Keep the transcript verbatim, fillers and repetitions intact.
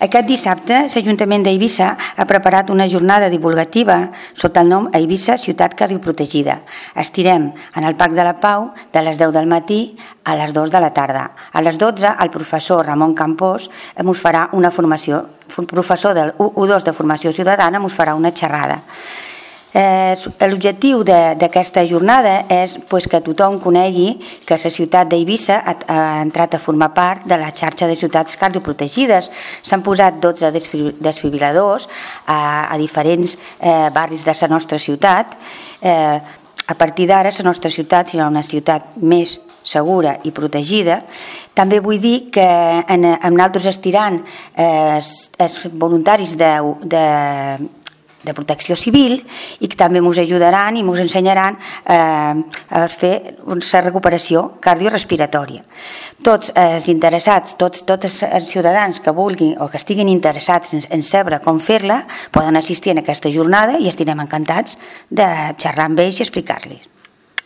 Aquest dissabte, l'Ajuntament d'Eivissa ha preparat una jornada divulgativa sota el nom Eivissa, ciutat cardioprotegida. Estirem en el Parc de la Pau de les deu del matí a les dues de la tarda. A les dotze, el professor Ramon Campós ens farà una formació, professor del u dos de formació ciutadana, ens farà una xerrada. Eh, L'objectiu d'aquesta jornada és pues, que tothom conegui que la ciutat d'Eivissa ha, ha entrat a formar part de la xarxa de ciutats cardioprotegides. S'han posat dotze desfibriladors a, a diferents eh, barris de la nostra ciutat. Eh, a partir d'ara la nostra ciutat serà una ciutat més segura i protegida. També vull dir que en, en nosaltres estirant eh, els voluntaris de, de de protecció civil i que també ens ajudaran i ens ensenyaran eh, a fer la recuperació cardiorespiratòria. Tots els interessats, tots, tots els ciutadans que vulguin o que estiguin interessats en, en saber com fer-la poden assistir a aquesta jornada i estarem encantats de xerrar amb ells i explicar-los.